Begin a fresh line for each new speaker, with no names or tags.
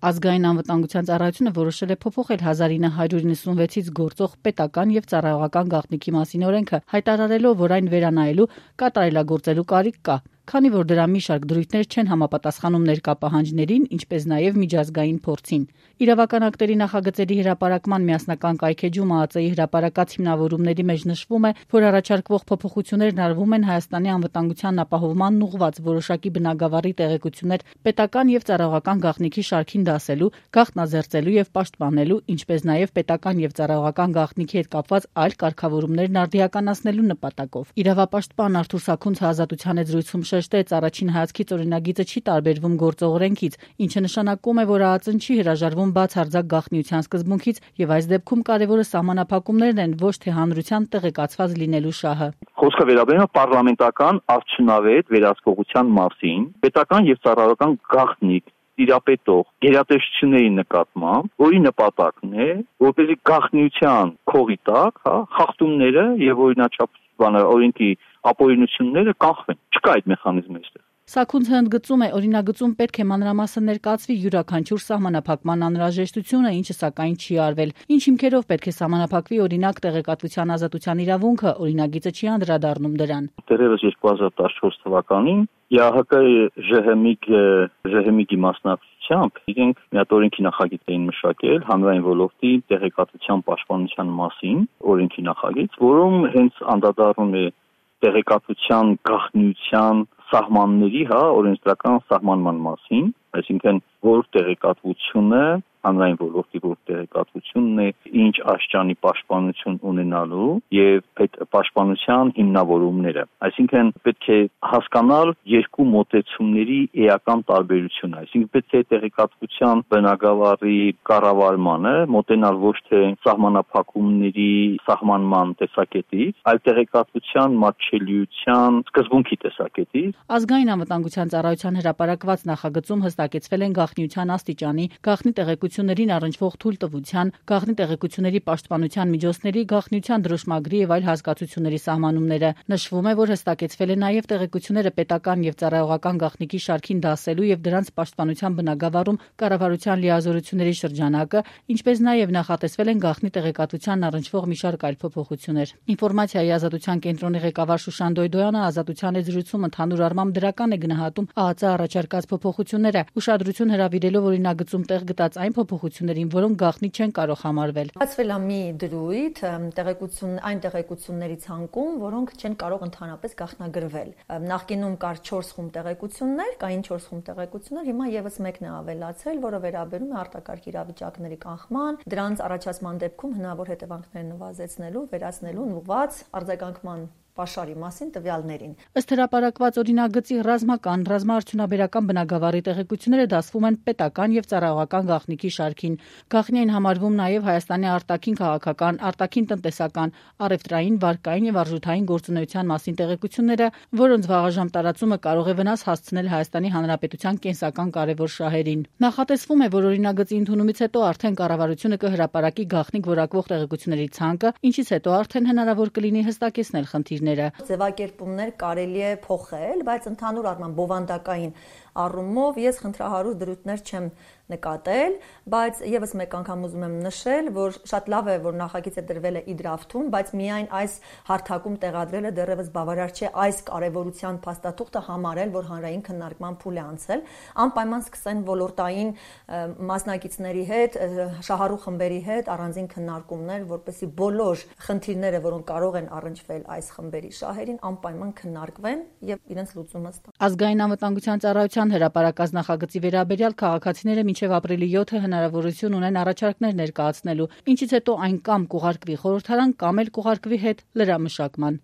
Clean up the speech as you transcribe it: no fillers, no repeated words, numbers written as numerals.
Ազգային անվտանգության ծառայությունը որոշել է փոփոխել 1996-ից գործող պետական եւ ծառայողական գաղտնիքի մասին օրենքը, հայտարարելով, որ այն վերանայելու կատարելագործելու կարիք կա, քանի որ դրա մի շարք դրույթներ չեն համապատասխանում ներկա պահանջներին, ինչպես նաև միջազգային փորձին։ Իրավական ակտերի նախագծերի հրապարակման միասնական կայքեջում ԱԱԾ-ի հրապարակած հիմնավորումների մեջ նշվում է, որ առաջարկվող փոփոխություններն արվում են Հայաստանի անվտանգության ապահովմանն ուղղված որոշակի բնագավառի տեղեկություններ պետական եւ ծառայողական գաղտնիքի շարքին դասելու, գաղտնազերծելու եւ պաշտպանելու, ինչպես նաև պետական եւ ծառայողական գաղտնիքի հետ կապված այլ կարգավորումներն արդիականացնելու նպատակով։ Իրավապաշտպան Արթուր Սաքունցը Ազատության հետ զրույցում շեշտեց, առաջին հայացքից օրինագիծը չի տարբերվում գործող օրենքից, ինչը նշանակում է, որ ԱԱԾ-ն չի հրաժարվում բացարձակ գաղտնիության սկզբունքից եւ այս դեպքում կարեւորը սահմանափակումներն են, ոչ թե հանրության տեղեկացված լինելու շահը։
Խոսքը վերաբերում է պարլամենտական արդյունավետ վերահսկողության մասին, պետական եւ ծառայողական գաղտնիք տիրապետող գերատեսչությունների նկատմամբ, որի նպատակն է, որպեսզի գաղտնիության քողի տակ, խախտումները եւ օրինաչափ օրենքի ապօրինությունները կանխվեն։ Չկա այդ մեխանիզմը այստեղ։
Սաքունցը ընդգծում է, օրինագծում պետք է մանրամասն ներկայացվի յուրաքանչյուր սահմանափակման անհրաժեշտությունը, ինչը սակայն չի արվել։ Ինչ հիմքերով պետք է սահմանափակվի օրինակ տեղեկատվության ազատության իրավունքը, օրինագիծը չի անդրադառնում դրան։
Դեռևս 2014 թվականին ԵԱՀԿ-ԺՀՄԻԳ-ի մասնակցությամբ իրենք մի հատ օրենքի նախագիծ էին մշակել հանրային ոլորտի տեղեկատվության պաշտպանության մասին, օրենքի նախագիծ, որում հենց անդրադառնում է տեղեկատվության գաղտնիության սահմանների, օրենսդրական սահմանման մասին, այսինքն որ տեղեկատվությունը հանրային ոլորտի որ տեղեկատվությունն է ինչ աշճանի պաշտպանություն ունենալու եւ այդ պաշտպանության հիմնավորումները, այսինքն պետք է հասկանալ երկու մոտեցումների էական տարբերությունը, այսինքն պետք է տեղեկատվության բնագավառի կառավարմանը մոտենալ ոչ թե սահմանափակումների սահմանման տեսակետից, այլ տեղեկատվության մատչելիության սկզբունքի տեսակետից։
Ազգային անվտանգության ծառայության հրապարակված նախագծում հստակեցվել են գաղտնիության աստիճանի, գաղտնի տեղեկություններին առնչվող թույլտվության, գաղտնի տեղեկությունների պաշտպանության միջոցների, գաղտնիության դրոշմագրի եւ այլ հասկացությունների սահմանումները։ Նշվում է, որ հստակեցվել է նաեւ տեղեկությունները պետական եւ ծառայողական գաղտնիքի շարքին դասելու եւ դրանց պաշտպանության բնագավառում կառավարության լիազորությունների շրջանակը, ինչպես նաեւ նախատեսվել են գաղտնի տեղեկատվությանն առնչվող մի շարք այլ փոփոխություններ։ Ինֆորմացիայի ազատության կենտրոնի ղեկավար Շուշան Դոյդոյանը Ազատության հետ զրույցում ընդհանուր առմամբ դրական է գնահատում ԱԱԾ առաջարկած փոփոխությունները, ուշադրություն հրավիրելով օրինագծում տեղ գտած այն փոփոխություններին, որոնք գաղտնի չեն կարող համարվել։
Բացվել է մի դրույթ այն տեղեկությունների ցանկում, որոնք չեն կարող ընդհանրապես գաղտնագրվել։ Նախկինում կար 4 խումբ տեղեկություններ, կային 4 խումբ տեղեկություններ, հիմա եւս մեկն է ավելացել, որը վերաբերում է արտակարգ իրավիճակների կանխման, դրանց առաջացման դեպքում հնարավոր հետևանքներ նվազեցնելու, վերացնելուն ուղղված արձագանքման պաշարի մասին տվյալներին։
Ըստ հրապարակված օրինագծի ռազմաարդյունաբերական բնագավառի տեղեկությունները դասվում են պետական եւ ծառայողական գաղտնիքի շարքին։ Գաղտնի են համարվում նաեւ Հայաստանի արտաքին քաղաքական, արտաքին տնտեսական, առևտրային, վարկային եւ արժութային գործունեության մասին տեղեկությունները, որոնց վաղաժամ տարածումը կարող է վնաս հասցնել Հայաստանի Հանրապետության կենսական կարևոր շահերին։ Նախատեսվում է, որ օրինագծի ընդունումից հետո արդեն կառավարությունը կհրապարակի գաղտնիք որակվող տեղեկությունների ցանկը, ինչից հետո արդեն հնարավոր կլինի հստակեցնել խնդիրները։
Ձևակերպումներ կարելի է փոխել, բայց ընդհանուր առմամբ բովանդակային առումով ես խնդրահարույց դրույթներ չեմ նկատել, բայց եւս մեկ անգամ ուզում եմ նշել, որ շատ լավ է, որ նախագիծը դրվել է իդրաֆթում, բայց միայն այս հարթակում տեղադրելը դեռևս բավարար չէ այս կարևորության փաստաթուղթը համարել, որ հանրային քննարկման փուլ է անցել, անպայման սկսեն ոլորտային մասնակիցների հետ, շահառու խմբերի հետ առանձին քննարկումներ, որպեսզի բոլոր խնդիրները, որոնք կարող են առնչվել այս խմբերի շահերին, անպայման քննարկվեն եւ իրենց լուծումը ստանան։
Ազգային անվտանգության ծառայության հրապարակած նախագծի վերաբերյալ քաղաքացիները մինչև ապրիլի 7-ը հնարավորություն ունեն առաջարկներ ներկայացնելու, ինչից հետո այն կամ կուղարկվի խորհրդարան, կամ էլ կուղարկվի հետ լրամշակման։